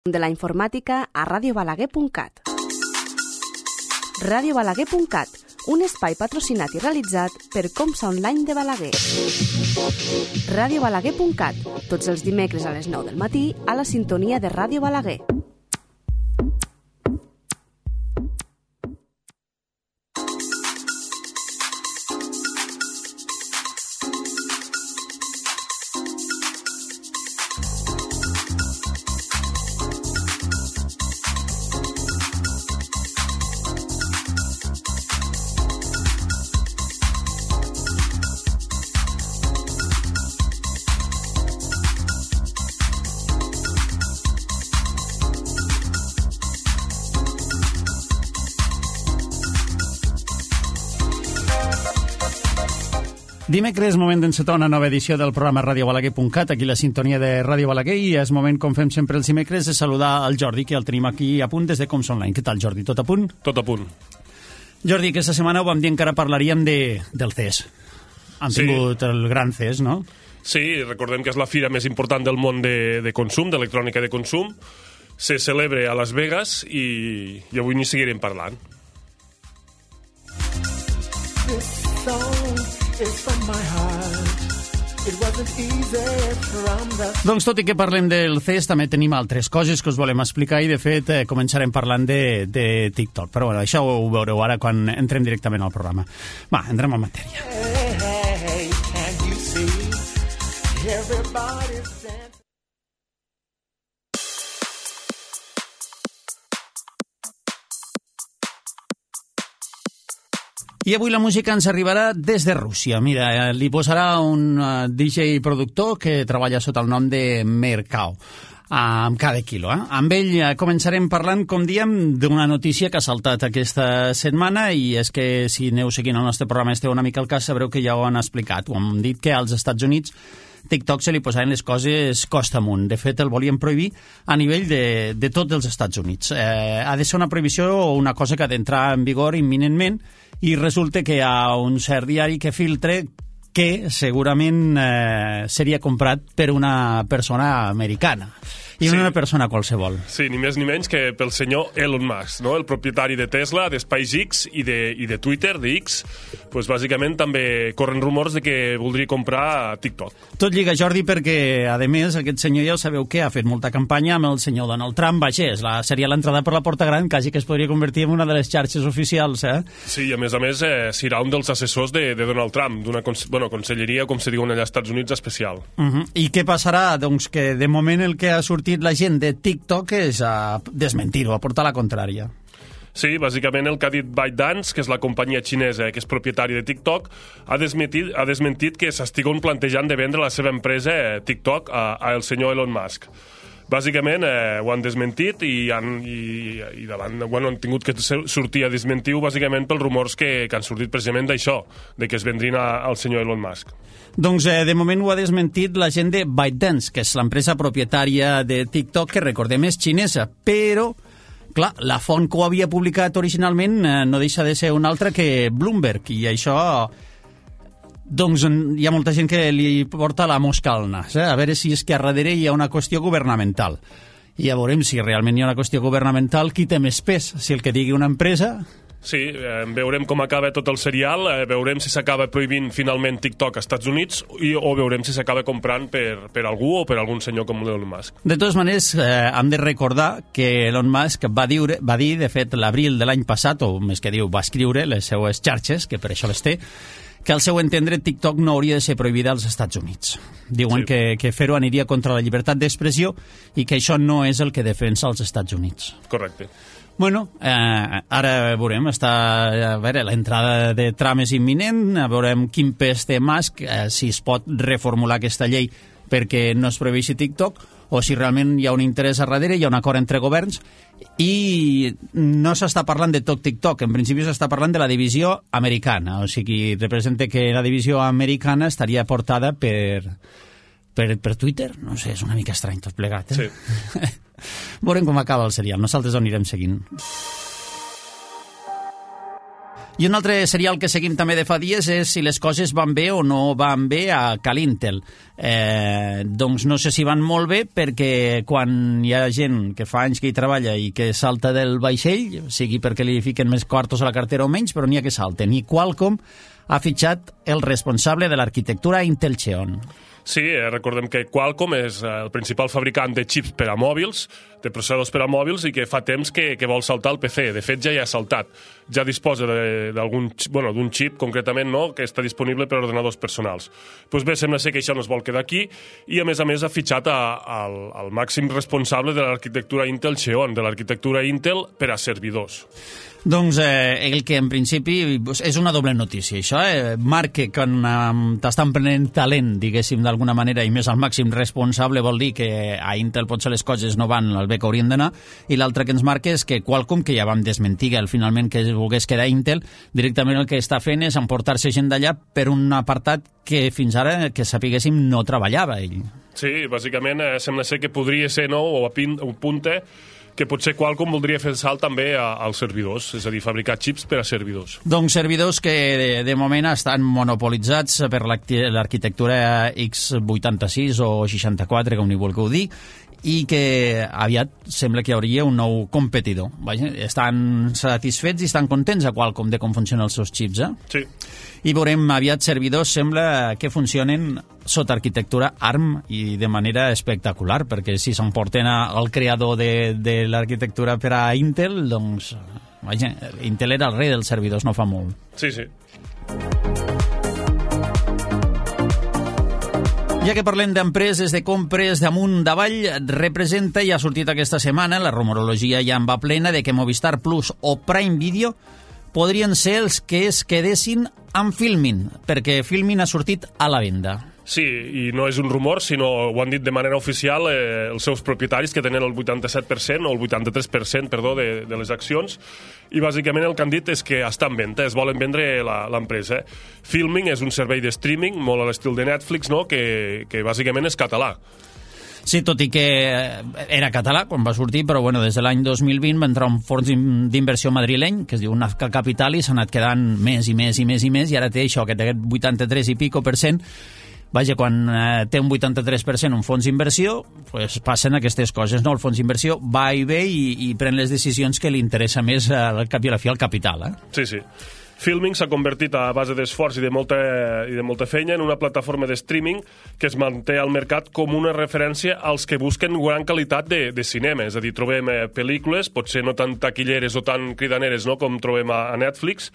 de la informàtica a radiobalaguer.cat. Radiobalaguer.cat, un espai patrocinat i realitzat per Comsa Online de Balaguer. Radiobalaguer.cat, tots els dimecres a les 9 del matí a la sintonia de Ràdio Balaguer. Dimecres, moment d'encetar una nova edició del programa radiobalaguer.cat, aquí la sintonia de Ràdio Balaguer, i és moment, com fem sempre els dimecres, de saludar el Jordi, que el tenim aquí a punt des de Comsa Online. Què tal, Jordi? Tot a punt? Tot a punt. Jordi, aquesta setmana ho vam dir, encara parlaríem del CES. Han tingut el gran CES, no? Sí, recordem que és la fira més important del món de consum, d'electrònica de consum. Se celebra a Las Vegas i avui n'hi seguirem parlant. Doncs tot i que parlem del CES, també tenim altres coses que us volem explicar i, de fet, començarem parlant de TikTok. Però bueno, això ho veureu ara quan entrem directament al programa. Va, entrem en matèria. Hey, can you see? Everybody's dancing. I avui la música ens arribarà des de Rússia. Mira, li posarà un DJ productor que treballa sota el nom de Mercao, amb cada quilo. Amb ell començarem parlant, com diem, d'una notícia que ha saltat aquesta setmana, i és que si aneu seguint el nostre programa, esteu una mica al cas, sabreu que ja ho han explicat. Ho hem dit que als Estats Units TikTok se li posaven les coses costa amunt. De fet, el volien prohibir a nivell de tots els Estats Units. Ha de ser una prohibició o una cosa que ha d'entrar en vigor imminentment, i resulta que hi ha un cert diari que filtra que segurament seria comprat per una persona americana i no una persona qualsevol. Sí, ni més ni menys que pel senyor Elon Musk, no? El propietari de Tesla, de SpaceX i de Twitter, de X. Pues, bàsicament també corren rumors de que voldria comprar TikTok. Tot lliga, Jordi, perquè, a més, aquest senyor ja ho sabeu que ha fet molta campanya amb el senyor Donald Trump. Vaja, seria l'entrada per la porta gran, quasi que es podria convertir en una de les xarxes oficials, Sí, i a més, serà un dels assessors de Donald Trump, d'una conselleria, com se diuen allà als Estats Units, especial. I què passarà? Doncs que, de moment, el que ha sortit la gent de TikTok és a desmentir-ho, a portar la contrària. Sí, bàsicament el que ha dit ByteDance, que és la companyia xinesa que és propietària de TikTok, ha desmentit que s'estiguen plantejant de vendre la seva empresa TikTok al senyor Elon Musk. Bàsicament ho han desmentit i davant, han tingut que sortir a desmentir-ho bàsicament pels rumors que han sortit precisament d'això, de que es vendrien al senyor Elon Musk. Doncs de moment ho ha desmentit la gent de ByteDance, que és l'empresa propietària de TikTok, que recordem és xinesa, però clar, la font que ho havia publicat originalment no deixa de ser una altra que Bloomberg, i això doncs hi ha molta gent que li porta la mosca al nas, a veure si és que a darrere hi ha una qüestió governamental. I ja veurem si realment hi ha una qüestió governamental, qui té més pes, si el que digui una empresa. Sí, veurem com acaba tot el serial, veurem si s'acaba prohibint finalment TikTok als Estats Units o veurem si s'acaba comprant per algú o per algun senyor com Elon Musk. De totes maneres, hem de recordar que Elon Musk va dir, de fet, l'abril de l'any passat, o més que diu, va escriure les seues xarxes, que per això les té, que al seu entendre TikTok no hauria de ser prohibida als Estats Units. Diuen que fer-ho aniria contra la llibertat d'expressió i que això no és el que defensa els Estats Units. Correcte. Bueno, ara veurem, a veure, l'entrada de Trump és imminent, veurem quin pes té Musk, si es pot reformular aquesta llei perquè no es prohibeixi TikTok, o si realment hi ha un interès a darrere, hi ha un acord entre governs, i no s'està parlant de tot TikTok, en principi s'està parlant de la divisió americana, o sigui, representa que la divisió americana estaria portada per Twitter, no sé, és una mica estrany tot plegat, Sí. Veurem com acaba el serial, nosaltres ho anirem seguint. I un altre serial que seguim també de fa dies és si les coses van bé o no van bé a Cal Intel. Doncs no sé si van molt bé, perquè quan hi ha gent que fa anys que hi treballa i que salta del vaixell, sigui perquè li fiquen més quartos a la cartera o menys, però n'hi ha que salten. I Qualcomm ha fitxat el responsable de l'arquitectura Intel Xeon. Sí, recordem que Qualcomm és el principal fabricant de xips per a mòbils, de processadors per a mòbils, i que fa temps que vol saltar el PC. De fet, ja hi ha saltat. Ja disposa d'un xip, concretament, no?, que està disponible per a ordenadors personals. Doncs bé, sembla ser que això no es vol quedar aquí, i a més ha fitxat al màxim responsable de l'arquitectura Intel Xeon, de l'arquitectura Intel per a servidors. Doncs el que en principi és una doble notícia, això. Marca que t'estan prenent talent, diguéssim, d'alguna manera, i més al màxim responsable vol dir que a Intel potser les coses no van al bé que haurien d'anar, i l'altre que ens marca és que Qualcomm, que ja vam desmentir que finalment que volgués quedar Intel, directament el que està fent és emportar-se gent d'allà per un apartat que fins ara, que sapiguéssim, no treballava ell. Sí, bàsicament sembla ser que podria ser, no?, o apunta que potser Qualcomm voldria fer el salt també als servidors, és a dir, fabricar xips per a servidors. Doncs servidors que de moment estan monopolitzats per l'arquitectura x86 o 64, com n'hi vulgueu dir, i que aviat sembla que hi hauria un nou competidor. Vaja, estan satisfets i estan contents a Qualcomm de com funcionen els seus xips, Sí. I veurem aviat servidors, sembla que funcionen sota arquitectura ARM i de manera espectacular, perquè si s'emporten al creador de l'arquitectura per a Intel, doncs, vaja, Intel era el rei dels servidors no fa molt. Sí, sí. Ja que parlem d'empreses, de compres d'amunt d'avall, representa i ha sortit aquesta setmana, la rumorologia ja en va plena, de que Movistar Plus o Prime Video podrien ser els que es quedessin amb Filmin, perquè Filmin ha sortit a la venda. Sí, i no és un rumor, sinó ho han dit de manera oficial els seus propietaris, que tenen el 87% o el 83%, perdó, de les accions, i bàsicament el que han dit és que està en venda, es volen vendre l'empresa. Filming és un servei de streaming, molt a l'estil de Netflix, no?, que bàsicament és català. Sí, tot i que era català quan va sortir, però bueno, des de l'any 2020 va entrar un fons d'inversió madrileny, que es diu Nazca Capital, i s'ha anat quedant més i més i més i més, i ara té això, que té aquest 83 i pico %. Vaja, quan té un 83% un fons d'inversió, pues passen aquestes coses, no? El fons d'inversió va i ve i pren les decisions que li interessa més al cap i a la fi al capital, Sí, sí. Filming s'ha convertit a base d'esforç i de molta feina en una plataforma de streaming que es manté al mercat com una referència als que busquen gran qualitat de cinema. És a dir, trobem pel·lícules, potser no tan taquilleres o tan cridaneres, no?, com trobem a Netflix,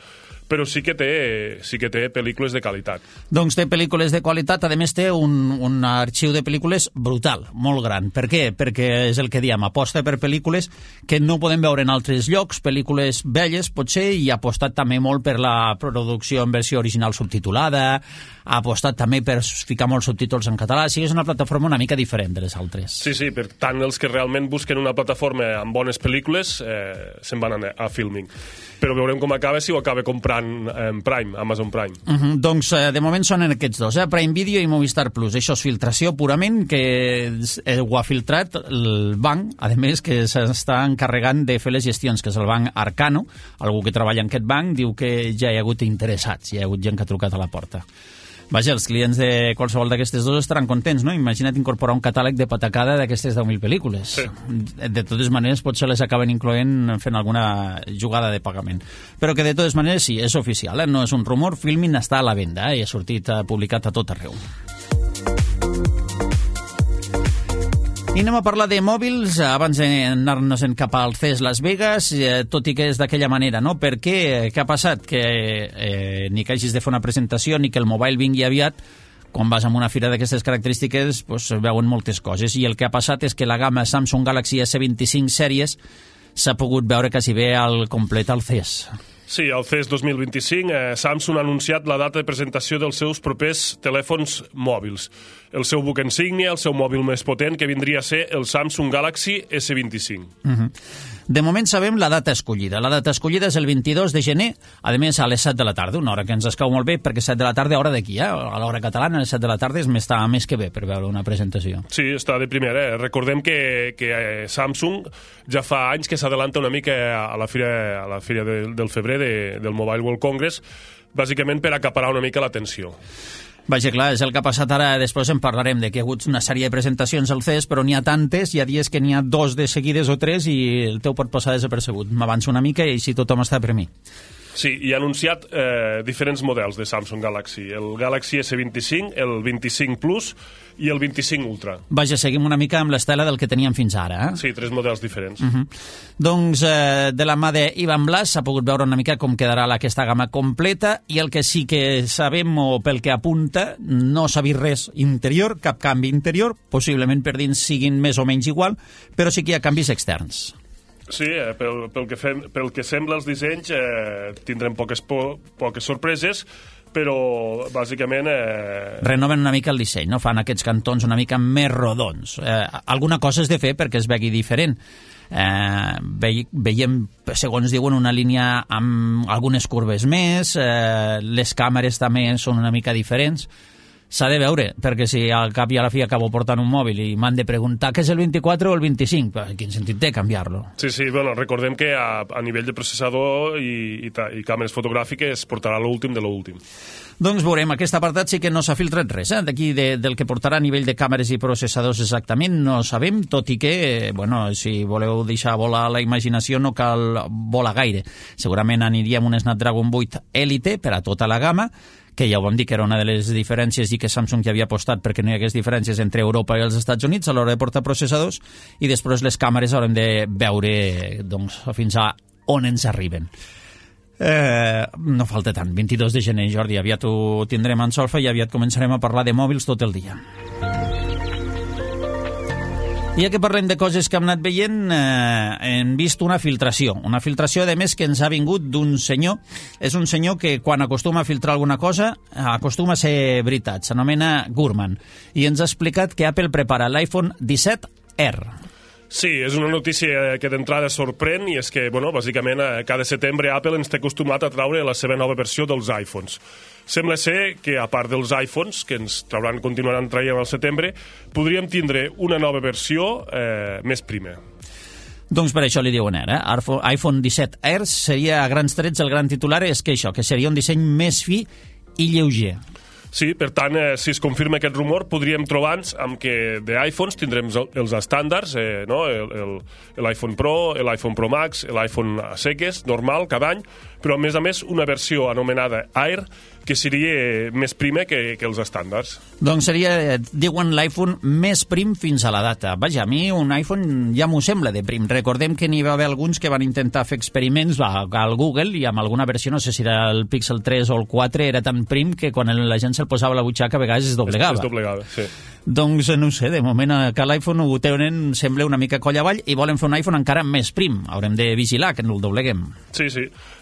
però sí que té pel·lícules de qualitat. Doncs té pel·lícules de qualitat, a més té un arxiu de pel·lícules brutal, molt gran. Per què? Perquè és el que diem, aposta per pel·lícules que no podem veure en altres llocs, pel·lícules velles potser, i ha apostat també molt per la producció en versió original subtitulada, ha apostat també per ficar molts subtítols en català, sí, és una plataforma una mica diferent de les altres. Sí, sí, per tant els que realment busquen una plataforma amb bones pel·lícules se'n van a Filming. Però veurem com acaba, si ho acaba comprant Prime, Amazon Prime. Doncs de moment són aquests dos, Prime Video i Movistar Plus. Això és filtració purament, que ho ha filtrat el banc, a més que s'està encarregant de fer les gestions, que és el banc Arcano. Algú que treballa en aquest banc diu que ja hi ha hagut interessats, hi ha hagut gent que ha trucat a la porta. Vaja, els clients de qualsevol d'aquestes dos estaran contents, no? Imagina't incorporar un catàleg de patacada d'aquestes 10.000 pel·lícules. Sí. De totes maneres, potser les acaben incloent fent alguna jugada de pagament. Però que de totes maneres sí, és oficial, no és un rumor. Filmin està a la venda i ha sortit publicat a tot arreu. I anem a parlar de mòbils abans d'anar-nos cap al CES Las Vegas, tot i que és d'aquella manera, no? Per què? Què ha passat? Que ni que hagis de fer una presentació ni que el mobile vingui aviat, quan vas a una fira d'aquestes característiques pues, veuen moltes coses, i el que ha passat és que la gamma Samsung Galaxy S25 sèries s'ha pogut veure quasi bé al complet al CES. Sí, al CES 2025 Samsung ha anunciat la data de presentació dels seus propers telèfons mòbils. El seu buc insígnia, el seu mòbil més potent, que vindria a ser el Samsung Galaxy S25. De moment sabem la data escollida. La data escollida és el 22 de gener, a més a les 7 de la tarda, una hora que ens escau molt bé, perquè 7 de la tarda, hora d'aquí, a l'hora catalana, a les 7 de la tarda està més que bé per veure una presentació. Sí, està de primera. Recordem que Samsung ja fa anys que s'adelanta una mica a la fira del febrer del Mobile World Congress, bàsicament per acaparar una mica l'atenció. Vaja, clar, és el que ha passat ara. Després en parlarem de que hi ha hagut una sèrie de presentacions al CES, però n'hi ha tantes, hi ha dies que n'hi ha 2 de seguides o 3 i el teu pot passar desapercebut. M'avanço una mica i així tothom està per mi. Sí, i ha anunciat diferents models de Samsung Galaxy. El Galaxy S25, el 25 Plus i el 25 Ultra. Vaja, seguim una mica amb l'estela del que teníem fins ara. Sí, 3 models diferents. Doncs de la mà d'Ivan Blas s'ha pogut veure una mica com quedarà aquesta gamma completa, i el que sí que sabem, o pel que apunta, no s'ha vist res interior, cap canvi interior, possiblement per dins siguin més o menys igual, però sí que hi ha canvis externs. Sí, pel que sembla els dissenys tindrem poques sorpreses, però bàsicament... Renoven una mica el disseny, no? Fan aquests cantons una mica més rodons. Alguna cosa és de fer perquè es vegi diferent. Veiem, segons diuen, una línia amb algunes curves més, les càmeres també són una mica diferents. S'ha de veure, perquè si al cap i a la fi acabo portant un mòbil i m'han de preguntar què és el 24 o el 25, quin sentit té canviar-lo? Sí, bueno, recordem que a nivell de processador i càmeres fotogràfiques portarà l'últim de l'últim. Doncs veurem, aquest apartat sí que no s'ha filtrat res, d'aquí del que portarà a nivell de càmeres i processadors exactament no sabem, tot i que, bueno, si voleu deixar volar la imaginació no cal volar gaire. Segurament aniríem un Snapdragon 8 Elite per a tota la gamma, que ja ho vam dir que era una de les diferències i que Samsung ja havia apostat perquè no hi hagués diferències entre Europa i els Estats Units a l'hora de portar processadors, i després les càmeres haurem de veure doncs, fins a on ens arriben. No falta tant, 22 de gener, Jordi, aviat ho tindrem en solfa i aviat començarem a parlar de mòbils tot el dia. I ja que parlem de coses que hem anat veient, hem vist una filtració, de més que ens ha vingut d'un senyor. És un senyor que quan acostuma a filtrar alguna cosa acostuma a ser veritat, s'anomena Gurman, i ens ha explicat que Apple prepara l'iPhone 17R. Sí, és una notícia que d'entrada sorprèn, i és que, bueno, bàsicament cada setembre Apple ens té acostumat a traure la seva nova versió dels iPhones. Sembla ser que, a part dels iPhones, que ens continuaran traient al setembre, podríem tindre una nova versió més prima. Doncs per això li diuen R. iPhone 17R seria, a grans trets, el gran titular és que això, que seria un disseny més fi i lleuger. Sí, per tant, si es confirma aquest rumor, podríem trobar-nos amb que d'iPhones tindrem els estàndards, no? L'iPhone Pro, l'iPhone Pro Max, l'iPhone a seques, normal, cada any, però a més una versió anomenada Air, que seria més prima que els estàndards. Doncs seria, diuen, l'iPhone més prim fins a la data. Vaja, a mi un iPhone ja m'ho sembla de prim. Recordem que n'hi va haver alguns que van intentar fer experiments al Google i amb alguna versió, no sé si era el Pixel 3 o el 4, era tan prim que quan la gent se'l posava a la butxaca a vegades es doblegava. Es doblegava, sí. Doncs no sé, de moment que l'iPhone ho tenen, sembla una mica coll avall, i volen fer un iPhone encara més prim. Haurem de vigilar que no el dobleguem. Sí.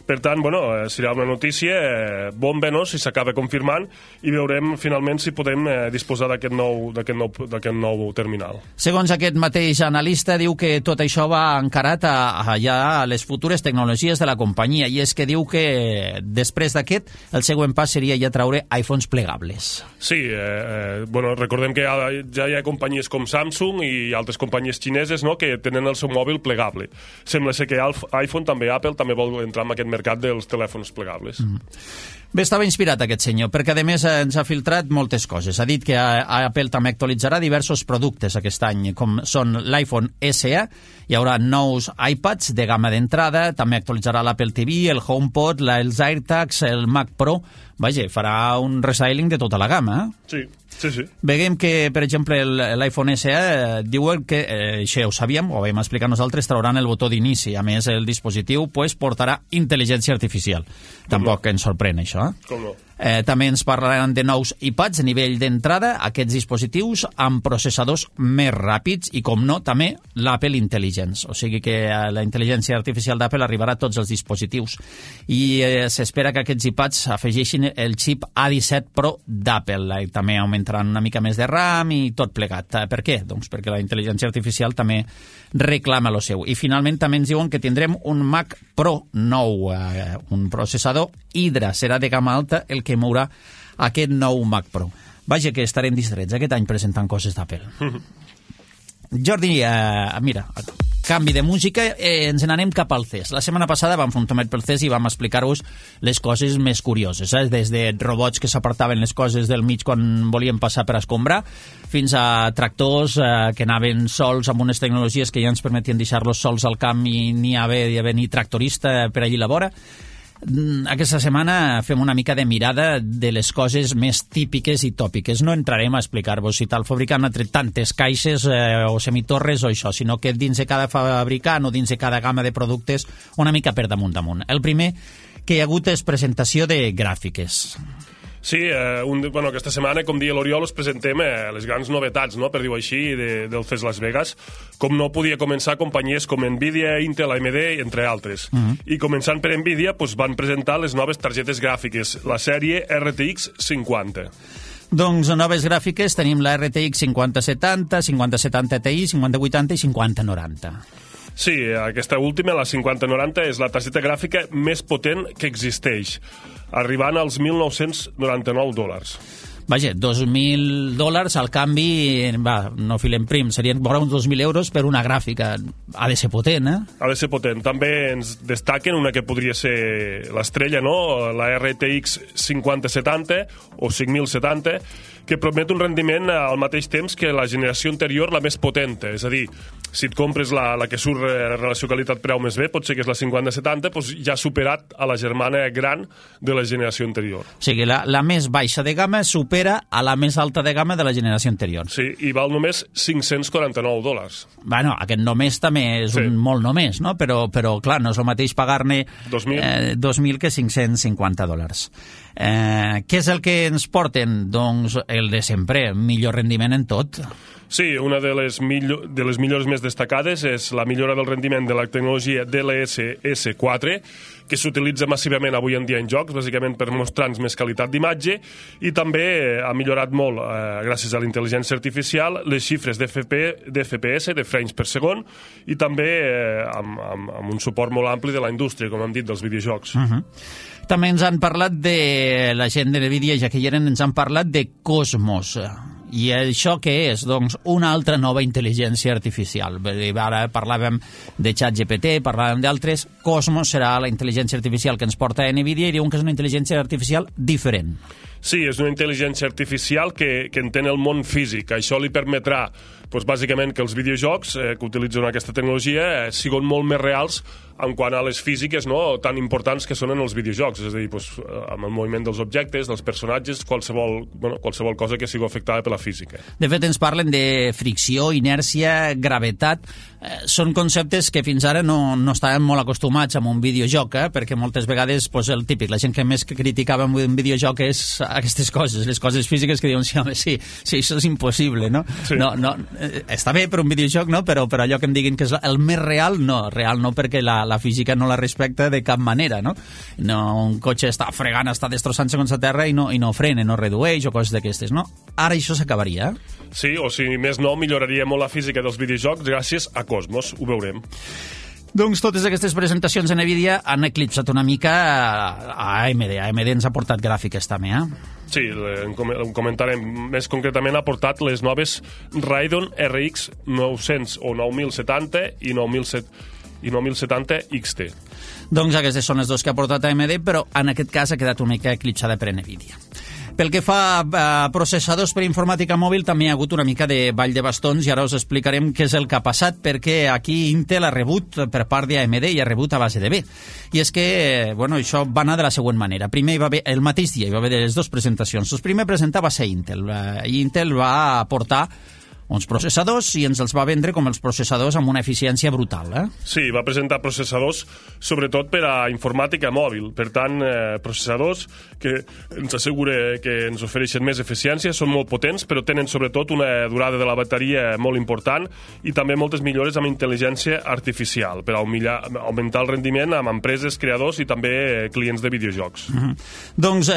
Per tant, bueno, serà una notícia bomba, no?, si s'acaba confirmant, i veurem finalment si podem disposar d'aquest nou terminal. Segons aquest mateix analista, diu que tot això va encarat a les futures tecnologies de la companyia, i és que diu que després d'aquest el següent pas seria ja traure iPhones plegables. Sí, bueno, recordem que ja hi ha companyies com Samsung i altres companyies xineses, no?, que tenen el seu mòbil plegable. Sembla ser que iPhone també, Apple també vol entrar en aquest mercat dels telèfons plegables. Bé, estava inspirat aquest senyor, perquè a més ens ha filtrat moltes coses. Ha dit que Apple també actualitzarà diversos productes aquest any, com són l'iPhone SE, hi haurà nous iPads de gamma d'entrada, també actualitzarà l'Apple TV, el HomePod, els AirTags, el Mac Pro. Vaja, farà un restyling de tota la gamma, Sí. Veiem que, per exemple, l'iPhone SE diuen que, això ho sabíem, ho vam explicar nosaltres, trauran el botó d'inici. A més, el dispositiu portarà intel·ligència artificial. Tampoc ens sorprèn, això. Com no? També ens parlaran de nous iPads a nivell d'entrada, aquests dispositius amb processadors més ràpids i, com no, també l'Apple Intelligence. O sigui que la intel·ligència artificial d'Apple arribarà a tots els dispositius. I s'espera que aquests iPads afegeixin el xip A17 Pro d'Apple. També augmentaran una mica més de RAM i tot plegat. Per què? Doncs perquè la intel·ligència artificial també reclama lo seu. I finalment també ens diuen que tindrem un Mac Pro nou, un processador Hydra. Serà de gamma alta el que mourà aquest nou Mac Pro. Vaja que estarem distrets aquest any presentant coses d'Apple. Jordi, mira, canvi de música, ens n'anem cap al CES. La setmana passada vam fer un tomet pel CES i vam explicar-vos les coses més curioses, des de robots que s'apartaven les coses del mig quan volien passar per escombrar, fins a tractors que anaven sols amb unes tecnologies que ja ens permetien deixar-los sols al camp i ni haver ni tractorista per allí a la vora. Aquesta setmana fem una mica de mirada de les coses més típiques i tòpiques. No entrarem a explicar-vos si tal fabricant ha tret tantes caixes o semitorres o això, sinó que dins de cada fabricant o dins de cada gamma de productes una mica per damunt. El primer que hi ha hagut és presentació de gràfiques. Sí, aquesta setmana, com deia l'Oriol, us presentem les grans novetats, no?, per dir-ho així, del CES Las Vegas. Com no podia començar companyies com Nvidia, Intel, AMD, entre altres. I començant per Nvidia, van presentar les noves targetes gràfiques, la sèrie RTX 50. Doncs noves gràfiques tenim la RTX 5070, 5070 Ti, 5080 i 5090. Sí, aquesta última, la 5090, és la targeta gràfica més potent que existeix, arribant als $1.999. Vaja, $2.000 al canvi, no filem prim, serien vora uns 2.000 euros per una gràfica. Ha de ser potent, Ha de ser potent. També ens destaquen una que podria ser l'estrella, no?, la RTX 5070 o 5070, que promet un rendiment al mateix temps que la generació anterior, la més potenta. És a dir, si et compres la que surt relació qualitat-preu més bé, pot ser que és la 5070, doncs ja ha superat a la germana gran de la generació anterior. O sigui, la més baixa de gamma supera a la més alta de gamma de la generació anterior. Sí, i val només $549. Bueno, aquest només també és un molt només, no? Però clar, no és el mateix pagar-ne 2.000 que $550. Què és el que ens porten? Doncs el de sempre, millor rendiment en tot. Sí, una de les millores més destacades és la millora del rendiment de la tecnologia DLSS 4, que s'utilitza massivament avui en dia en jocs, bàsicament per mostrar-nos més qualitat d'imatge, i també ha millorat molt, gràcies a la intel·ligència artificial, les xifres d'FPS, de frames per segon, i també amb un suport molt ampli de la indústria, com hem dit, dels videojocs. També ens han parlat de la gent de NVIDIA, ja que hi eren, ens han parlat de Cosmos. I això què és? Doncs una altra nova intel·ligència artificial. Ara parlàvem de ChatGPT, parlàvem d'altres. Cosmos serà la intel·ligència artificial que ens porta a NVIDIA i diuen que és una intel·ligència artificial diferent. Sí, és una intel·ligència artificial que entén el món físic. Això li permetrà, bàsicament, que els videojocs que utilitzen aquesta tecnologia siguin molt més reals en quant a les físiques, no?, tan importants que són en els videojocs, és a dir, amb el moviment dels objectes, dels personatges, qualsevol cosa que sigui afectada per la física. De fet, ens parlen de fricció, inèrcia, gravetat. Són conceptes que fins ara no estàvem molt acostumats amb un videojoc, perquè moltes vegades, el típic, la gent que més criticava un videojoc és aquestes coses, les coses físiques que diuen, sí, això és impossible, no? Sí. No, està bé per un videojoc, no? Però allò que em diguin que és el més real no, perquè la física no la respecta de cap manera, no? Un cotxe està fregant, està destrossant segons la terra i no frena, no redueix o coses d'aquestes, no? Ara això s'acabaria. Sí, o si més no, milloraria molt la física dels videojocs gràcies a Cosmos, ho veurem. Doncs totes aquestes presentacions en NVIDIA han eclipsat una mica a AMD. AMD ens ha portat gràfiques també, Sí, en comentarem. Més concretament ha portat les noves Radeon RX 900 o 9070 i 9070 XT. Doncs aquestes són les dues que ha portat AMD, però en aquest cas ha quedat una mica eclipsada per NVIDIA. Pel que fa a processadors per informàtica mòbil, també hi ha hagut una mica de ball de bastons i ara us explicarem què és el que ha passat, perquè aquí Intel ha rebut per part d'AMD i ha rebut a base de B. I és que, això va anar de la següent manera. Primer hi va haver, el mateix dia, hi va haver les dues presentacions. El primer presentar va ser Intel. I Intel va aportar uns processadors i ens els va vendre com els processadors amb una eficiència brutal. Sí, va presentar processadors sobretot per a informàtica mòbil. Per tant, processadors que ens assegura que ens ofereixen més eficiència, són molt potents, però tenen sobretot una durada de la bateria molt important i també moltes millores amb intel·ligència artificial per a augmentar el rendiment amb empreses, creadors i també clients de videojocs. Doncs,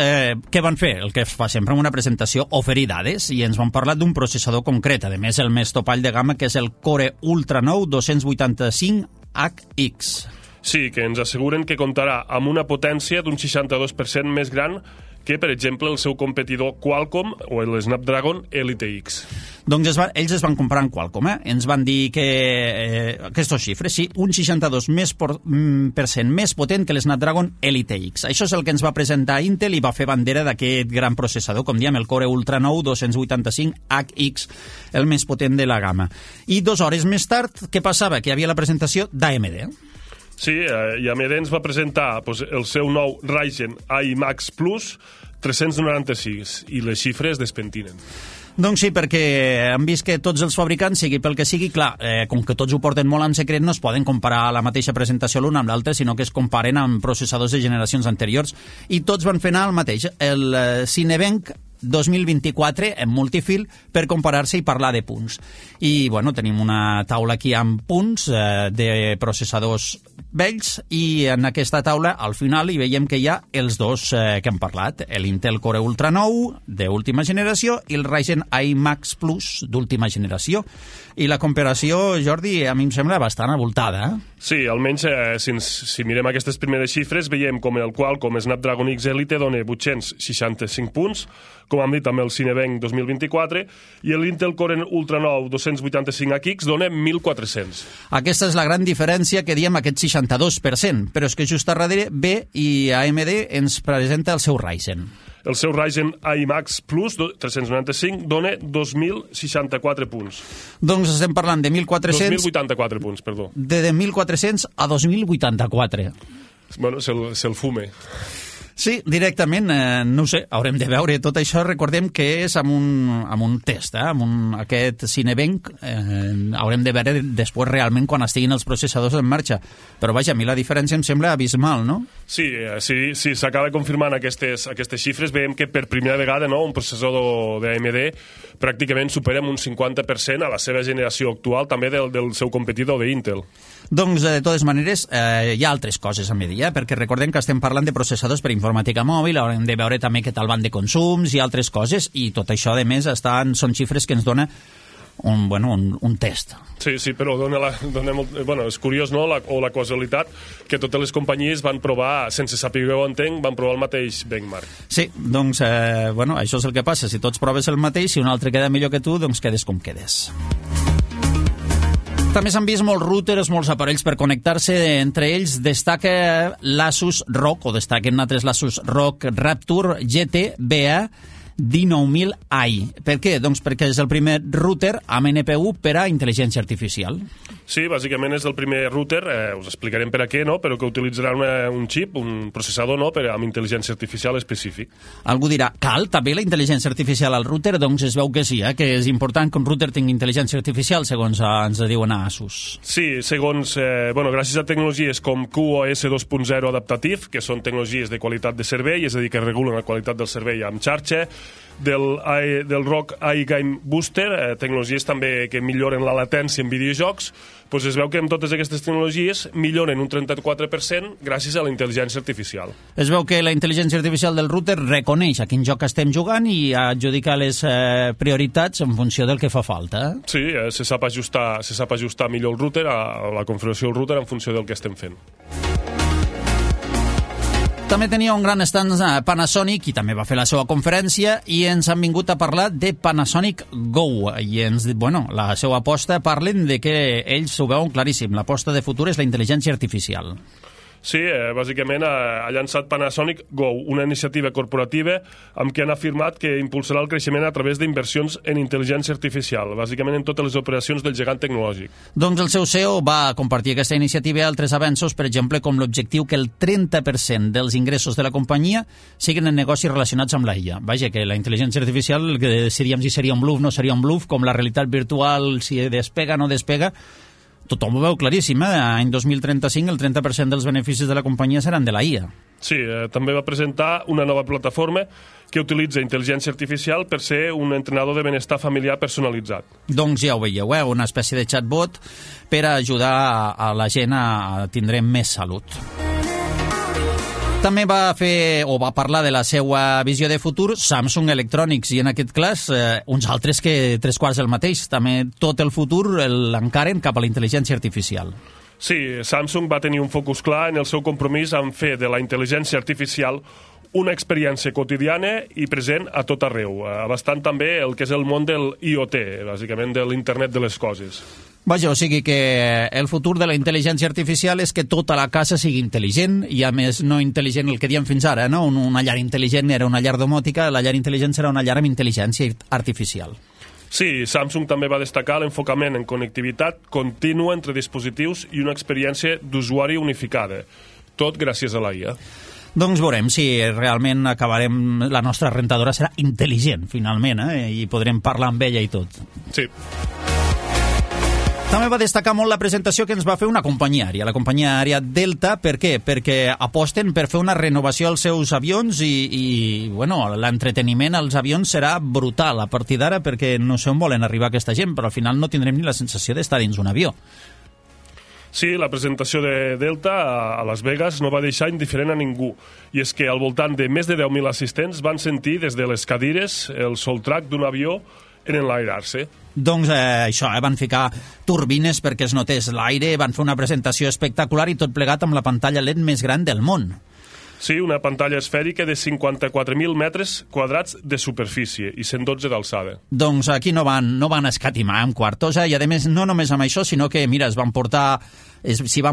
què van fer? El que es fa sempre en una presentació, oferir dades, i ens van parlar d'un processador concret, a més el més topall de gamma, que és el Core Ultra 9 285HX. Sí, que ens asseguren que comptarà amb una potència d'un 62% més gran que, per exemple, el seu competidor Qualcomm o el Snapdragon Elite X. Doncs ells es van comprar en Qualcomm, Ens van dir que aquestes xifres, sí, un 62% més potent que l'Snapdragon Elite X. Això és el que ens va presentar Intel i va fer bandera d'aquest gran processador, com diem, el Core Ultra 9 285HX, el més potent de la gamma. I 2 hores més tard, què passava? Que hi havia la presentació d'AMD. Sí, i AMD ens va presentar el seu nou Ryzen iMax Plus 396 i les xifres despentinen. Doncs sí, perquè han vist que tots els fabricants, sigui pel que sigui, clar, com que tots ho porten molt en secret, no es poden comparar la mateixa presentació l'un amb l'altre, sinó que es comparen amb processadors de generacions anteriors, i tots van fer anar el mateix. El Cinebench 2024 en multifil per comparar-se i parlar de punts. I, bueno, tenim una taula aquí amb punts de processadors vells i en aquesta taula, al final, hi veiem que hi ha els dos que hem parlat, l'Intel Core Ultra 9 d'última generació i el Ryzen iMax Plus d'última generació. I la comparació, Jordi, a mi em sembla bastant avoltada, Sí, almenys si mirem aquestes primeres xifres veiem com el Qualcomm Snapdragon X Elite dona 865 punts, com hem dit amb el Cinebench 2024, i l'Intel Core Ultra 9 285HX dona 1.400. Aquesta és la gran diferència que diem, aquest 62%, però és que just a darrere ve i AMD ens presenta el seu Ryzen. El seu Ryzen iMax Plus 395 dona 2.064 punts. Doncs estem parlant de 1.400... 2.084 punts, perdó. De 1.400 a 2.084. Bueno, se'l fume. Sí, directament, no ho sé, haurem de veure tot això. Recordem que és amb un test, amb aquest Cinebench. Haurem de veure després realment quan estiguin els processadors en marxa. Però vaja, a mi la diferència em sembla abismal, no? Sí, s'acaba confirmant aquestes xifres. Veiem que per primera vegada un processador d'AMD pràcticament supera un 50% a la seva generació actual, també del seu competidor d'Intel. Doncs, de totes maneres, hi ha altres coses a medir, perquè recordem que estem parlant de processadors per informàtica mòbil, haurem de veure també què tal van de consums i altres coses, i tot això, a més, són xifres que ens dona un test. Sí, però és curiós, no?, la causalitat que totes les companyies van provar, sense saber on entenc, van provar el mateix benchmark. Sí, doncs, això és el que passa. Si tots proves el mateix, si un altre queda millor que tu, doncs quedes com quedes. També s'han vist molts routers, molts aparells per connectar-se. Entre ells destaca l'Asus ROG, o destaquen altres l'Asus ROG Rapture GT BA 19000i. Per què? Doncs perquè és el primer router amb NPU per a intel·ligència artificial. Sí, bàsicament és el primer router, us explicarem per a què, no?, però que utilitzarà un xip, un processador, no?, amb intel·ligència artificial específic. Algú dirà, cal també la intel·ligència artificial al router? Doncs es veu que sí, que és important que un router tingui intel·ligència artificial, segons ens diuen a Asus. Sí, segons, gràcies a tecnologies com QoS 2.0 adaptatiu, que són tecnologies de qualitat de servei, és a dir, que regulen la qualitat del servei amb xarxa, del ROG iGame Booster, tecnologies també que milloren la latència en videojocs, doncs es veu que amb totes aquestes tecnologies milloren un 34% gràcies a la intel·ligència artificial. Es veu que la intel·ligència artificial del router reconeix a quin joc estem jugant i adjudica les prioritats en funció del que fa falta. Sí, se sap ajustar millor el router, a la configuració del router en funció del que estem fent. També tenia un gran stand Panasonic i també va fer la seva conferència i ens han vingut a parlar de Panasonic Go i la seva aposta, parlen de que ells ho veuen claríssim, l'aposta de futur és la intel·ligència artificial. Sí, bàsicament ha llançat Panasonic Go, una iniciativa corporativa amb què han afirmat que impulsarà el creixement a través d'inversions en intel·ligència artificial, bàsicament en totes les operacions del gegant tecnològic. Doncs el seu CEO va compartir aquesta iniciativa i altres avenços, per exemple, com l'objectiu que el 30% dels ingressos de la companyia siguin en negocis relacionats amb la IA. Vaja, que la intel·ligència artificial, que decidiríem si seria un bluff o no seria un bluff, com la realitat virtual, si despega o no despega, tothom ho veu claríssim, Any 2035 el 30% dels beneficis de la companyia seran de la IA. Sí, també va presentar una nova plataforma que utilitza intel·ligència artificial per ser un entrenador de benestar familiar personalitzat. Doncs ja ho veieu, una espècie de chatbot per ajudar a la gent a tindre més salut. També va parlar de la seva visió de futur Samsung Electronics, i en aquest cas uns altres que 3/4 del mateix. També tot el futur l'encaren cap a la intel·ligència artificial. Sí, Samsung va tenir un focus clar en el seu compromís en fer de la intel·ligència artificial una experiència quotidiana i present a tot arreu, abastant també el que és el món del IoT, bàsicament de l'internet de les coses. Vaja, o sigui que el futur de la intel·ligència artificial és que tota la casa sigui intel·ligent, i a més no intel·ligent el que diem fins ara, no? Una llar intel·ligent era una llar domòtica, la llar intel·ligent serà una llar amb intel·ligència artificial. Sí, Samsung també va destacar l'enfocament en connectivitat contínua entre dispositius i una experiència d'usuari unificada, tot gràcies a la IA. Doncs veurem si realment la nostra rentadora serà intel·ligent, finalment, i podrem parlar amb ella i tot. Sí. També va destacar molt la presentació que ens va fer una companyia aèria, la companyia aèria Delta. Per què? Perquè aposten per fer una renovació als seus avions i l'entreteniment als avions serà brutal a partir d'ara, perquè no sé on volen arribar aquesta gent, però al final no tindrem ni la sensació d'estar dins un avió. Sí, la presentació de Delta a Las Vegas no va deixar indiferent a ningú, i és que al voltant de més de 10.000 assistents van sentir des de les cadires el soltrac d'un avió en enlairar-se. Doncs això, van ficar turbines perquè es notés l'aire, van fer una presentació espectacular i tot plegat amb la pantalla LED més gran del món. Sí, una pantalla esfèrica de 54.000 metres quadrats de superfície i 112 d'alçada. Doncs aquí no van escatimar en quartos, i a més no només amb això, sinó que, mira, s'hi van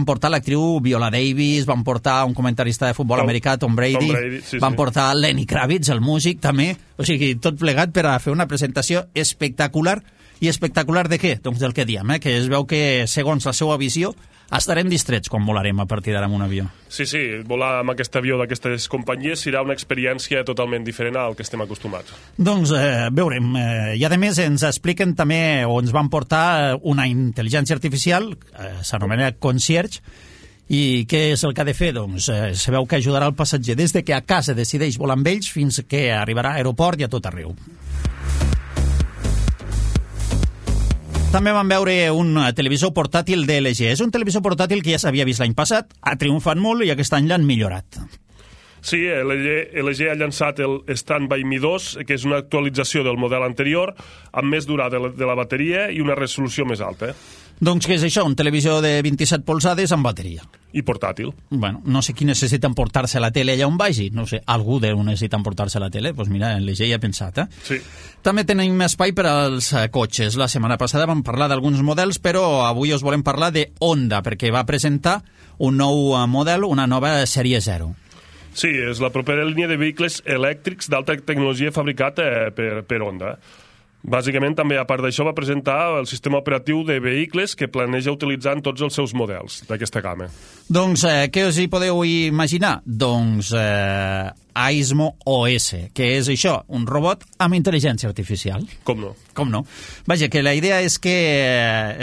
portar l'actriu Viola Davis, van portar un comentarista de futbol americà, Tom Brady, van portar Lenny Kravitz, el músic, també, o sigui, tot plegat per a fer una presentació espectacular. I espectacular de què? Doncs del que diem, que es veu que, segons la seva visió, estarem distrets quan volarem a partir d'ara amb un avió. Sí, volar amb aquest avió d'aquestes companyies serà una experiència totalment diferent al que estem acostumats. Doncs veurem. I a més ens expliquen també, o ens van portar una intel·ligència artificial, s'anomena Concierge, i què és el que ha de fer? Doncs sabeu que ajudarà el passatger des de que a casa decideix volar amb ells fins que arribarà a aeroport i a tot arreu. També vam veure un televisor portàtil de LG. És un televisor portàtil que ja s'havia vist l'any passat, ha triomfat molt i aquest any l'han millorat. Sí, LG ha llançat el Standby Mi 2, que és una actualització del model anterior, amb més durada de la bateria i una resolució més alta. Doncs què és això? Un televisor de 27 polzades amb bateria. I portàtil. Bueno, no sé qui necessita emportar-se la tele allà on vagi. No sé, algú deu necessitar emportar-se la tele. Doncs mira, LG ja ha pensat, Sí. També tenim espai per als cotxes. La setmana passada vam parlar d'alguns models, però avui us volem parlar de Honda, perquè va presentar un nou model, una nova sèrie 0. Sí, és la propera línia de vehicles elèctrics d'alta tecnologia fabricat per Honda. Bàsicament, també, a part d'això, va presentar el sistema operatiu de vehicles que planeja utilitzar en tots els seus models d'aquesta gamma. Doncs què us hi podeu imaginar? Doncs Aismo OS, que és això, un robot amb intel·ligència artificial. Com no? Com no? Vaja, que la idea és que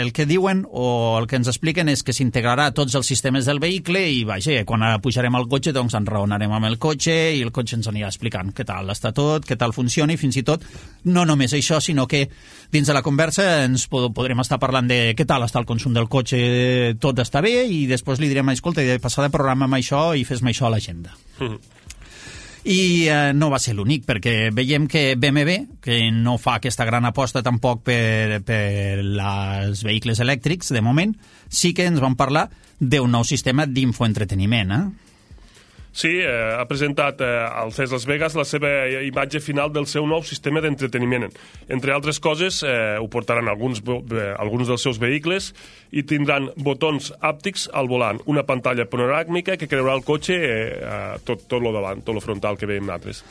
el que diuen o el que ens expliquen és que s'integrarà a tots els sistemes del vehicle i, vaja, quan pujarem al cotxe, doncs enraonarem amb el cotxe i el cotxe ens anirà explicant què tal està tot, què tal funciona i fins i tot, no només això, sinó que dins de la conversa ens podrem estar parlant de què tal està el consum del cotxe, tot està bé, i després li direm, escolta, de passada programa amb això i fes-me això a l'agenda. I no va ser l'únic, perquè veiem que BMW, que no fa aquesta gran aposta tampoc per els vehicles elèctrics, de moment, sí que ens van parlar d'un nou sistema d'infoentreteniment, Sí, ha presentat al CES Las Vegas la seva imatge final del seu nou sistema d'entreteniment. Entre altres coses, ho portaran alguns dels seus vehicles i tindran botons àptics al volant, una pantalla panoràmica que creurà el cotxe tot lo davant, tot lo frontal que veiem nosaltres.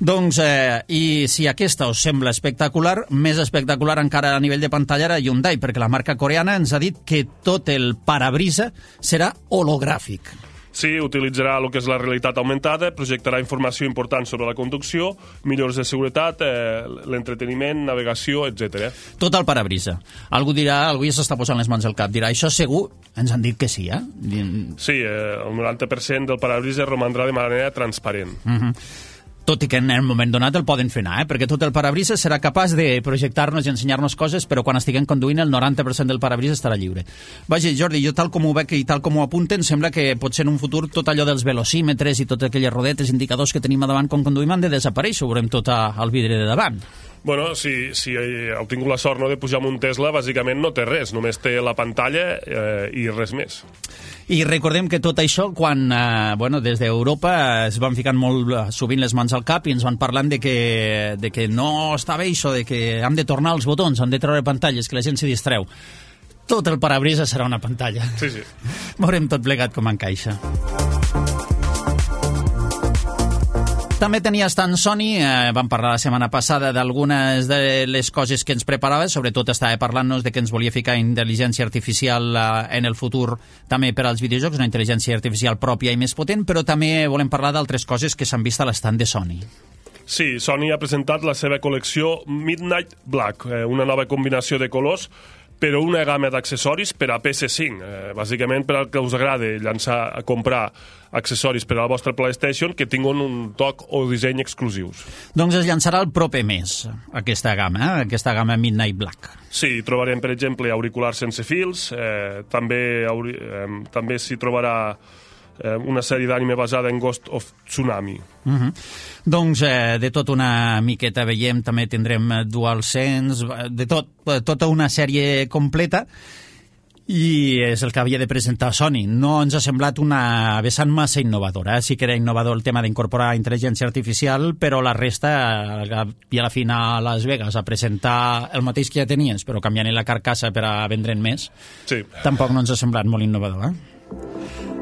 Doncs, i si aquesta us sembla espectacular, més espectacular encara a nivell de pantalla era Hyundai, perquè la marca coreana ens ha dit que tot el parabrisa serà hologràfic. Sí, utilitzarà el que és la realitat augmentada, projectarà informació important sobre la conducció, millores de seguretat, l'entreteniment, navegació, etc. Tot el parabrisa. Algú dirà, algú ja s'està posant les mans al cap, dirà, això segur? Ens han dit que sí, Sí, el 90% del parabrisa romandrà de manera transparent. Tot i que en un moment donat el poden fer anar, perquè tot el parabrisa serà capaç de projectar-nos i ensenyar-nos coses, però quan estiguem conduint el 90% del parabrisa estarà lliure. Vaja, Jordi, jo tal com ho veig i tal com ho apunten, sembla que potser en un futur tot allò dels velocímetres i totes aquelles rodetes, indicadors que tenim a davant quan conduïm han de desaparèixer, ho veurem tot al vidre de davant. Bueno, si heu tingut la sort de pujar amb un Tesla, bàsicament no té res, només té la pantalla i res més. I recordem que tot això, quan des d'Europa es van ficant molt sovint les mans al cap i ens van parlant de que no està bé això, de que hem de tornar als botons, hem de treure pantalles, que la gent s'hi distreu. Tot el parabrisa serà una pantalla. Sí. Veurem tot plegat com encaixa. També tenia estant Sony, vam parlar la setmana passada d'algunes de les coses que ens preparava, sobretot estava parlant-nos de que ens volia ficar intel·ligència artificial en el futur també per als videojocs, una intel·ligència artificial pròpia i més potent, però també volem parlar d'altres coses que s'han vist a l'estand de Sony. Sí, Sony ha presentat la seva col·lecció Midnight Black, una nova combinació de colors, però una gamma d'accessoris per a PS5, bàsicament per al que us agrada comprar accessoris per a la vostra PlayStation que tinguin un toc o disseny exclusius. Doncs es llançarà el proper mes, aquesta gamma Midnight Black. Sí, trobarem, per exemple, auriculars sense fils, també s'hi trobarà una sèrie d'anime basada en Ghost of Tsunami. Doncs de tot una miqueta veiem, també tindrem DualSense, de tota una sèrie completa, i és el que havia de presentar Sony. No ens ha semblat una vessant massa innovadora. Sí que era innovador el tema d'incorporar intel·ligència artificial, però la resta, i a la fi a Las Vegas a presentar el mateix que ja tenies, però canviant la carcassa per a vendre'n més, sí. Tampoc no ens ha semblat molt innovador,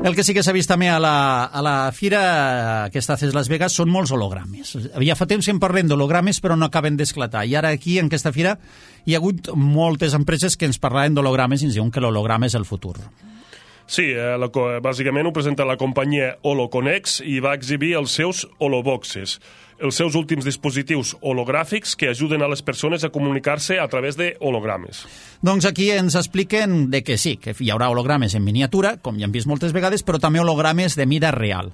El que sí que s'ha vist també a la fira aquesta CES Las Vegas són molts hologrames. Ja fa temps que en parlem d'hologrames, però no acaben d'esclatar. I ara aquí, en aquesta fira, hi ha hagut moltes empreses que ens parlaven d'hologrames i ens diuen que l'holograma és el futur. Sí, bàsicament ho presenta la companyia HoloConnex i va exhibir els seus holoboxes, els seus últims dispositius hologràfics que ajuden a les persones a comunicar-se a través de hologrames. Doncs aquí ens expliquen de que sí, que hi haurà hologrames en miniatura, com ja hem vist moltes vegades, però també hologrames de mida real.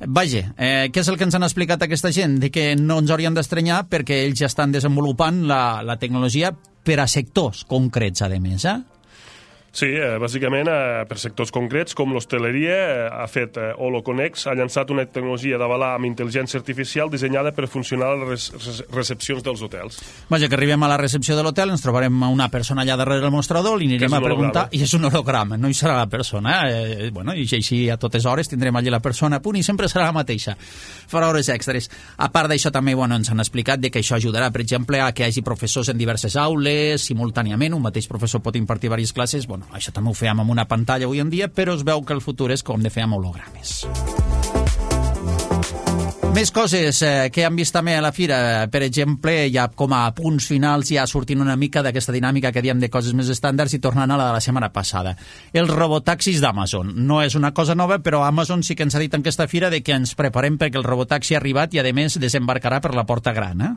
Vaja, què és el que ens han explicat aquesta gent? De que no ens haurien d'estranyar perquè ells ja estan desenvolupant la tecnologia per a sectors concrets, a més, Sí, bàsicament per sectors concrets, com l'hostaleria, ha fet HoloConnex, ha llançat una tecnologia d'avalar amb intel·ligència artificial dissenyada per funcionar a les recepcions dels hotels. Vaja, que arribem a la recepció de l'hotel, ens trobarem una persona allà darrere del mostrador, li anirem a preguntar, i és un holograma, no hi serà la persona, i així a totes hores tindrem allà la persona a punt i sempre serà la mateixa. Farà hores extres. A part d'això també ens han explicat que això ajudarà, per exemple, a que hi hagi professors en diverses aules, simultàniament, un mateix professor pot impartir diverses classes, això també ho fèiem amb una pantalla avui en dia, però es veu que el futur és com de fer amb hologrames. Més coses que hem vist també a la fira, per exemple, ja com a punts finals, ja sortint una mica d'aquesta dinàmica que diem de coses més estàndards i tornant a la de la setmana passada. Els robotaxis d'Amazon. No és una cosa nova, però Amazon sí que ens ha dit en aquesta fira de que ens preparem perquè el robotaxi ha arribat i, a més, desembarcarà per la porta gran,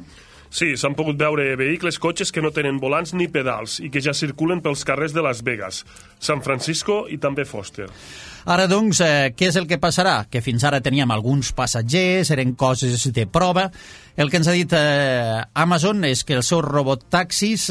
Sí, s'han pogut veure vehicles, cotxes que no tenen volants ni pedals i que ja circulen pels carrers de Las Vegas, San Francisco i també Foster. Ara, doncs, què és el que passarà? Que fins ara teníem alguns passatgers, eren coses de prova. El que ens ha dit Amazon és que els seus robotaxis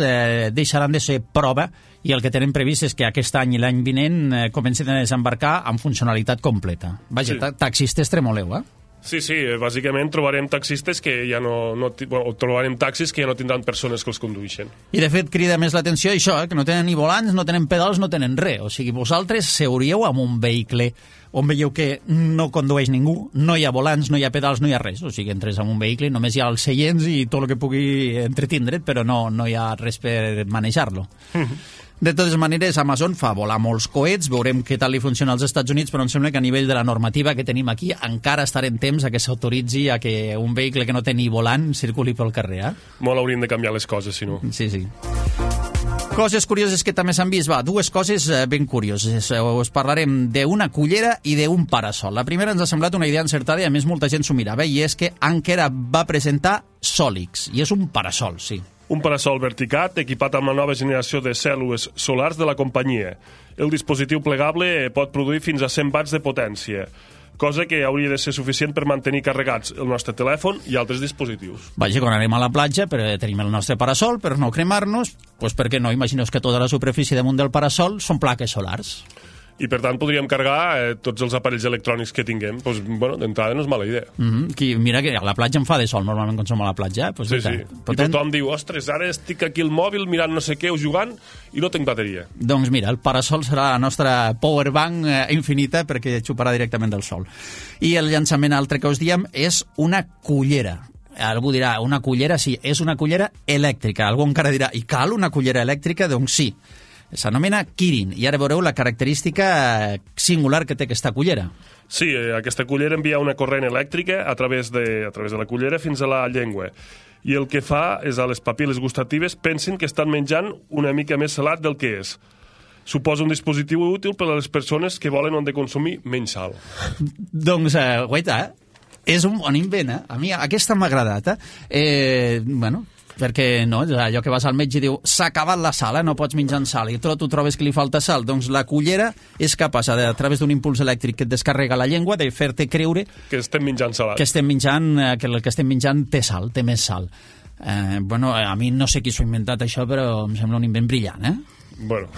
deixaran de ser prova i el que tenen previst és que aquest any i l'any vinent comencin a desembarcar amb funcionalitat completa. Vaja, sí. Taxistes tremoleu, Sí, bàsicament trobarem taxistes que ja trobarem taxis que ja no tindran persones que els condueixen. I de fet crida més l'atenció això, que no tenen ni volants, no tenen pedals, no tenen res. O sigui, vosaltres seuríeu amb un vehicle on veieu que no condueix ningú, no hi ha volants, no hi ha pedals, no hi ha res. O sigui, entres en un vehicle, només hi ha els seients i tot el que pugui entretindre't, però no hi ha res per manejar-lo. De totes maneres, Amazon fa volar molts coets, veurem què tal li funciona als Estats Units, però em sembla que a nivell de la normativa que tenim aquí encara estarà en temps a que s'autoritzi a que un vehicle que no té ni volant circuli pel carrer. Molt haurien de canviar les coses, si no. Sí. Coses curioses que també s'han vist. Dues coses ben curioses. Us parlarem d'una cullera i d'un parasol. La primera ens ha semblat una idea encertada i a més molta gent s'ho mirava, i és que Anker va presentar Solix, i és un parasol, sí. Un parasol verticat equipat amb la nova generació de cèl·lules solars de la companyia. El dispositiu plegable pot produir fins a 100 watts de potència, cosa que hauria de ser suficient per mantenir carregats el nostre telèfon i altres dispositius. Vaja, quan anem a la platja, tenim el nostre parasol per no cremar-nos, doncs per què no? Imagineu que tota la superfície damunt del parasol són plaques solars. I, per tant, podríem carregar tots els aparells electrònics que tinguem. Doncs, bueno, d'entrada no és mala idea. Mira que a la platja em fa de sol, normalment, quan som a la platja. Pues sí. I tothom diu, ostres, ara estic aquí al mòbil mirant no sé què o jugant i no tinc bateria. Doncs mira, el parasol serà la nostra powerbank infinita perquè xuparà directament del sol. I el llançament altre que us diem és una cullera. Algú dirà, una cullera? Sí, és una cullera elèctrica. Algú encara dirà, i cal una cullera elèctrica? Doncs sí. S'anomena Kirin, i ara veureu la característica singular que té aquesta cullera. Sí, aquesta cullera envia una corrent elèctrica a través de la cullera fins a la llengua. I el que fa és a les papil·les gustatives pensin que estan menjant una mica més salat del que és. Suposa un dispositiu útil per a les persones que volen on de consumir menys sal. Doncs, guaita, és un bon invent, A mi aquesta m'ha agradat, Bueno, perquè no, allò que vas al metge i diu s'ha acabat la sal, no pots menjar sal i tu trobes que li falta sal, doncs la cullera és capaç, a través d'un impuls elèctric que et descarrega la llengua, de fer-te creure que estem menjant salat, que el que estem menjant té sal, té més sal. Bueno, a mi no sé qui s'ho ha inventat això, però em sembla un invent brillant, Bueno.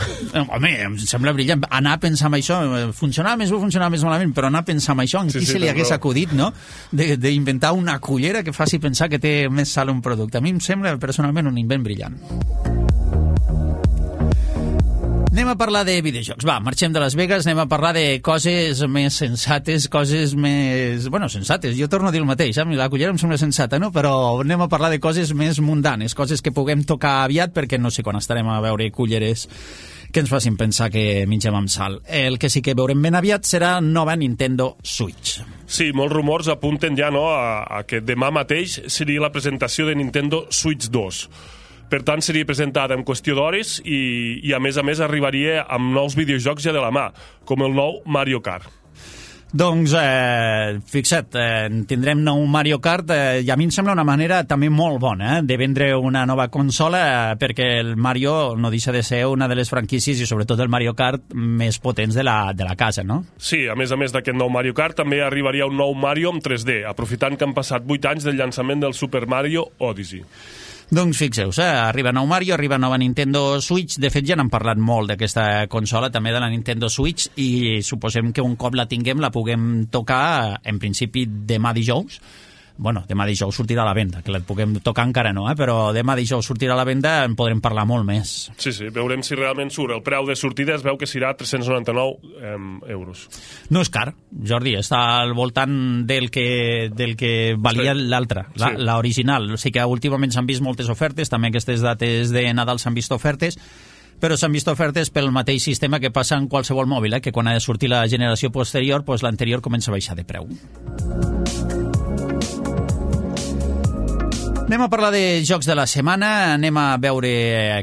Home, em sembla brillant anar a pensar en això, funcionava més bé, funcionava més malament, però anar a pensar en això, en qui se li hagués acudit, no?, d'inventar una cullera que faci pensar que té més sal un producte. A mi em sembla personalment un invent brillant. Anem a parlar de videojocs. Va, marxem de Las Vegas, anem a parlar de coses més sensates, coses més... Bueno, sensates, jo torno a dir el mateix, la cullera em sembla sensata, no? Però anem a parlar de coses més mundanes, coses que puguem tocar aviat, perquè no sé quan estarem a veure culleres que ens facin pensar que mengem amb sal. El que sí que veurem ben aviat serà nova Nintendo Switch. Sí, molts rumors apunten ja a que demà mateix seria la presentació de Nintendo Switch 2. Per tant, seria presentada en qüestió d'hores i a més arribaria amb nous videojocs ja de la mà, com el nou Mario Kart. Doncs, fixa't, tindrem nou Mario Kart i a mi em sembla una manera també molt bona de vendre una nova consola, perquè el Mario no deixa de ser una de les franquícies i sobretot el Mario Kart més potents de la casa, no? Sí, a més d'aquest nou Mario Kart també arribaria un nou Mario en 3D, aprofitant que han passat 8 anys del llançament del Super Mario Odyssey. Doncs fixeu-vos, arriba nou Mario, arriba nova Nintendo Switch. De fet, ja n'han parlat molt d'aquesta consola, també de la Nintendo Switch, i suposem que un cop la tinguem la puguem tocar, en principi, demà dijous. Bueno, demà dijous sortirà a la venda, que la puguem tocar encara no, però demà dijous sortirà a la venda, en podrem parlar molt més. Sí, veurem si realment surt. El preu de sortida es veu que serà 399 euros. No és car, Jordi, està al voltant del que valia l'altra, l'original. O sigui que últimament s'han vist moltes ofertes, també aquestes dates de Nadal s'han vist ofertes, però s'han vist ofertes pel mateix sistema que passa en qualsevol mòbil, que quan ha de sortir la generació posterior, doncs l'anterior comença a baixar de preu. Anem a parlar de jocs de la setmana, anem a veure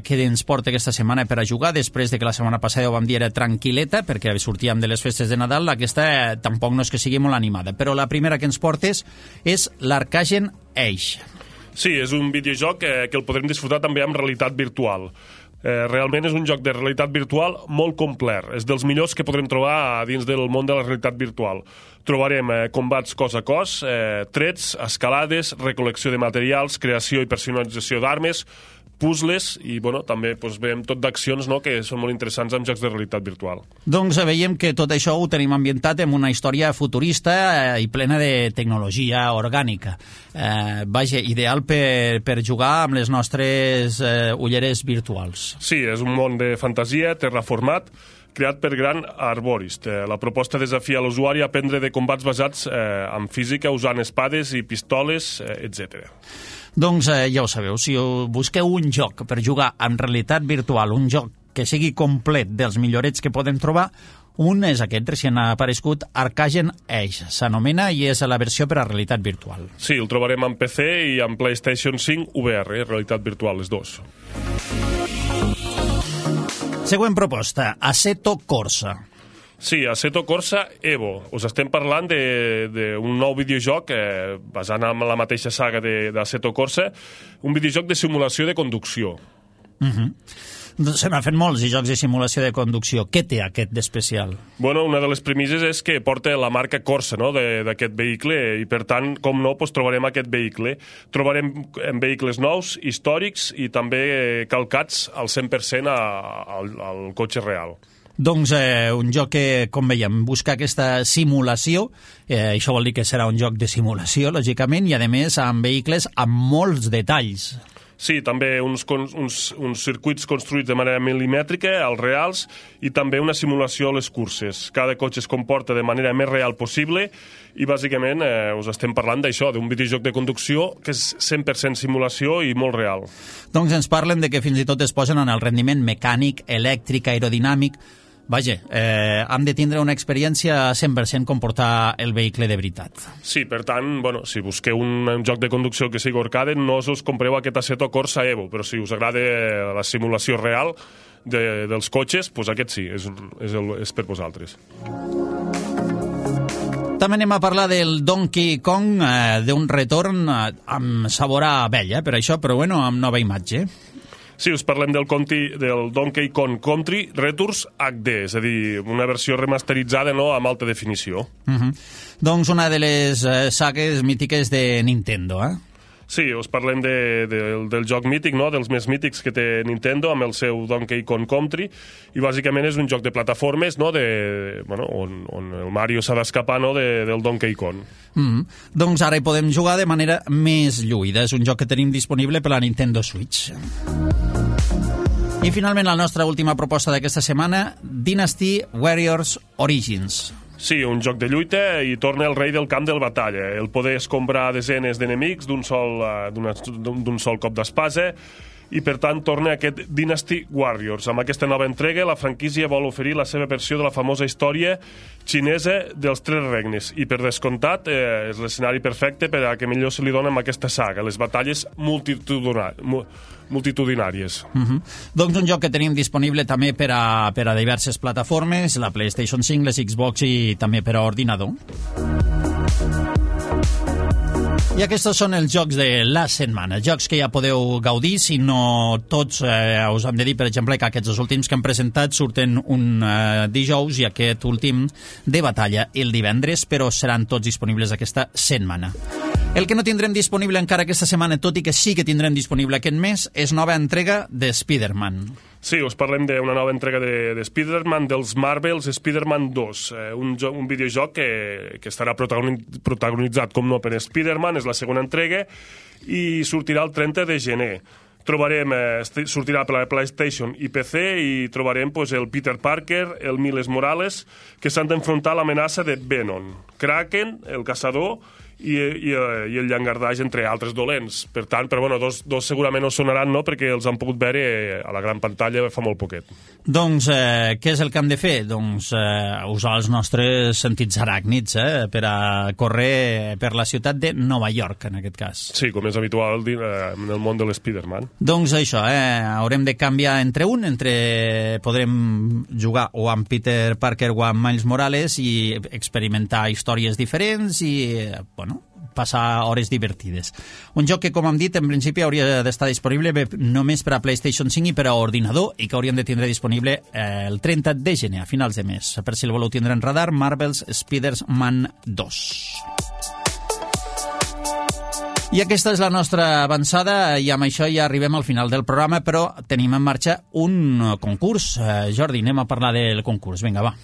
què ens porta aquesta setmana per a jugar, després de que la setmana passada ho vam dir era tranquil·leta, perquè sortíem de les festes de Nadal, aquesta tampoc no és que sigui molt animada, però la primera que ens portes és l'Arcagen Age. Sí, és un videojoc que el podrem disfrutar també amb realitat virtual. Realment és un joc de realitat virtual molt complet. És dels millors que podrem trobar dins del món de la realitat virtual. Trobarem combats cos a cos, trets, escalades, recol·lecció de materials, creació i personalització d'armes, puzzles i també veiem tot d'accions que són molt interessants en jocs de realitat virtual. Doncs veiem que tot això ho tenim ambientat en una història futurista i plena de tecnologia orgànica. Vaja, ideal per jugar amb les nostres ulleres virtuals. Sí, és un món de fantasia, terraformat, creat per Grant Arborist. La proposta desafia l'usuari a aprendre de combats basats en física usant espades i pistoles, etc. Doncs ja ho sabeu, si busqueu un joc per jugar en realitat virtual, un joc que sigui complet dels millorets que podem trobar, un és aquest, recient ha aparegut, Arcagen Age, s'anomena, i és la versió per a realitat virtual. Sí, el trobarem en PC i en PlayStation 5 VR, realitat virtual, les dos. Següent proposta, Assetto Corsa. Sí, Assetto Corsa Evo. Us estem parlant d'un nou videojoc basant en la mateixa saga d'Assetto Corsa, un videojoc de simulació de conducció. Se n'ha fet molts jocs de simulació de conducció. Què té aquest d'especial? Bueno, una de les premisses és que porta la marca Corsa, no?, d'aquest vehicle, i per tant, com no, doncs trobarem aquest vehicle. Trobarem vehicles nous, històrics i també calcats al 100% al cotxe real. Doncs un joc que, com veiem, busca aquesta simulació, això vol dir que serà un joc de simulació, lògicament, i a més amb vehicles amb molts detalls. Sí, també uns circuits construïts de manera milimètrica, als reals, i també una simulació a les curses. Cada cotxe es comporta de manera més real possible i, bàsicament, us estem parlant d'això, d'un videojoc de conducció que és 100% simulació i molt real. Doncs ens parlen de que fins i tot es posen en el rendiment mecànic, elèctric, aerodinàmic. Vaja, hem de tindre una experiència 100% com portar el vehicle de veritat. Sí, per tant, bueno, si busqueu un joc de conducció que sigui arcade, no us compreu aquest Assetto Corsa Evo, però si us agrada la simulació real dels cotxes, doncs aquest sí, és per vosaltres. També anem a parlar del Donkey Kong, d'un retorn amb sabor a vell, per això, però bueno, amb nova imatge. Sí, us parlem del Donkey Kong Country Returns HD, és a dir, una versió remasteritzada, no?, amb alta definició. Doncs una de les sagues mítiques de Nintendo, Sí, us parlem del joc mític, no?, dels més mítics que té Nintendo, amb el seu Donkey Kong Country, i bàsicament és un joc de plataformes, no?, on el Mario s'ha d'escapar, no?, del Donkey Kong. Doncs ara hi podem jugar de manera més lluïda. És un joc que tenim disponible per la Nintendo Switch. I finalment la nostra última proposta d'aquesta setmana, Dynasty Warriors Origins. Sí, un joc de lluita, i torna el rei del camp de batalla. El poder escombrar desenes d'enemics d'un sol cop d'espasa, i per tant torna aquest Dynasty Warriors. Amb aquesta nova entrega, la franquícia vol oferir la seva versió de la famosa història xinesa dels Tres Regnes, i per descomptat és l'escenari perfecte per a que millor se li dona amb aquesta saga, les batalles multitudinàries. Doncs un joc que tenim disponible també per a diverses plataformes, la PlayStation 5, les Xbox i també per a ordinador. I aquests són els jocs de la setmana, jocs que ja podeu gaudir, si no tots. Us hem de dir, per exemple, que aquests últims que hem presentat surten un dijous i aquest últim de batalla el divendres, però seran tots disponibles aquesta setmana. El que no tindrem disponible encara aquesta setmana, tot i que sí que tindrem disponible aquest mes, és nova entrega de Spider-Man. Sí, us parlem d'una nova entrega de Spider-Man, dels Marvels Spider-Man 2, un videojoc que estarà protagonitzat, com no, per Spider-Man, és la segona entrega, i sortirà el 30 de gener. Sortirà per la PlayStation i PC, i trobarem el Peter Parker, el Miles Morales, que s'han d'enfrontar a l'amenaça de Venom, Kraken, el caçador, i el llangardaix, entre altres dolents. Per tant, però bueno, dos segurament no sonaran, no?, perquè els han pogut veure a la gran pantalla fa molt poquet. Doncs què és el que hem de fer? Doncs usar els nostres sentits aràcnids per a córrer per la ciutat de Nova York, en aquest cas. Sí, com és habitual en el món de l'Spider-Man. Doncs això, haurem de canviar podrem jugar o amb Peter Parker o amb Miles Morales i experimentar històries diferents i, passar hores divertides. Un joc que, com hem dit, en principi hauria d'estar disponible només per a PlayStation 5 i per a ordinador, i que hauríem de tindre disponible el 30 de gener, a finals de mes. Per si el voleu tindre en radar, Marvel's Spider-Man 2. I aquesta és la nostra avançada, i amb això ja arribem al final del programa, però tenim en marxa un concurs. Jordi, anem a parlar del concurs. Vinga, va.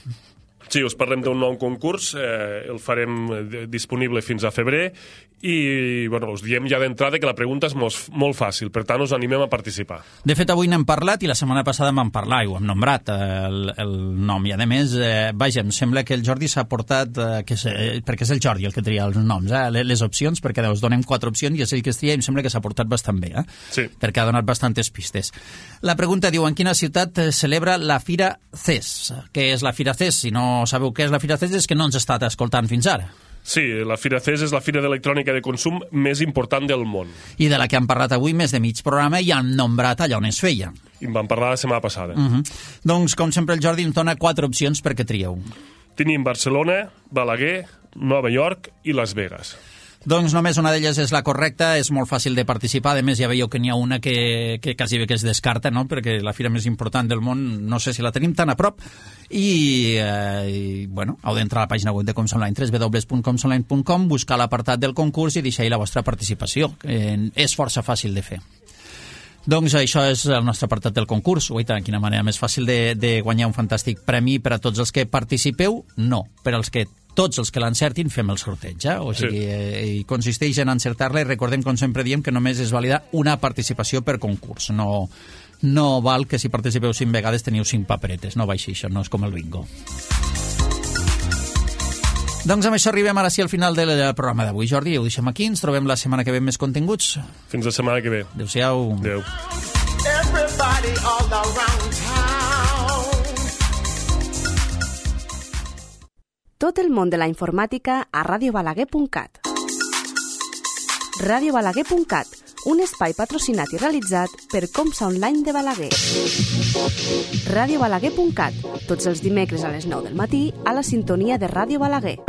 Sí, us parlem d'un nou concurs, el farem disponible fins a febrer i us diem ja d'entrada que la pregunta és molt fàcil, per tant us animem a participar. De fet, avui n'hem parlat i la setmana passada en vam parlar i ho hem nombrat, el nom. I a més, em sembla que el Jordi s'ha portat, perquè és el Jordi el que tria els noms, les opcions, perquè us donem 4 opcions i és ell que es tria i em sembla que s'ha portat bastant bé, sí. Perquè ha donat bastantes pistes. La pregunta diu, en quina ciutat celebra la Fira CES? Què és la Fira CES? Si no sabeu què és la Fira CES és que no ens ha estat escoltant fins ara. Sí, la Fira CES és la fira d'electrònica de consum més important del món. I de la que hem parlat avui més de mig programa i han nombrat allà on es feia. I en vam parlar la setmana passada. Doncs, com sempre, el Jordi ens dona 4 opcions perquè trieu. Tenim Barcelona, Balaguer, Nova York i Las Vegas. Doncs només una d'elles és la correcta, és molt fàcil de participar, a més ja veieu que n'hi ha una que quasi bé que es descarta, no? Perquè la fira més important del món no sé si la tenim tan a prop i heu d'entrar a la pàgina web de Comsonline, www.comsonline.com, buscar l'apartat del concurs i deixar-hi la vostra participació. És força fàcil de fer. Doncs això és el nostre apartat del concurs. Uita, quina manera més fàcil de guanyar un fantàstic premi per a tots els que participeu? No, per als que tots els que l'encertin fem el sorteig, O sigui, sí. Consisteix en encertar-la i recordem, com sempre diem, que només es valida una participació per concurs. No val que si participeu 5 vegades teniu 5 paperetes, no va així, això no és com el bingo. Doncs amb això arribem ara sí al final del programa d'avui. Jordi, ho deixem aquí, ens trobem la setmana que ve amb més continguts. Fins la setmana que ve. Adéu-siau. Adéu. Everybody all around town. Tot el món de la informàtica a radiobalaguer.cat. Radiobalaguer.cat, un espai patrocinat i realitzat per Comsa Online de Balaguer. Radiobalaguer.cat, tots els dimecres a les 9 del matí a la sintonia de Ràdio Balaguer.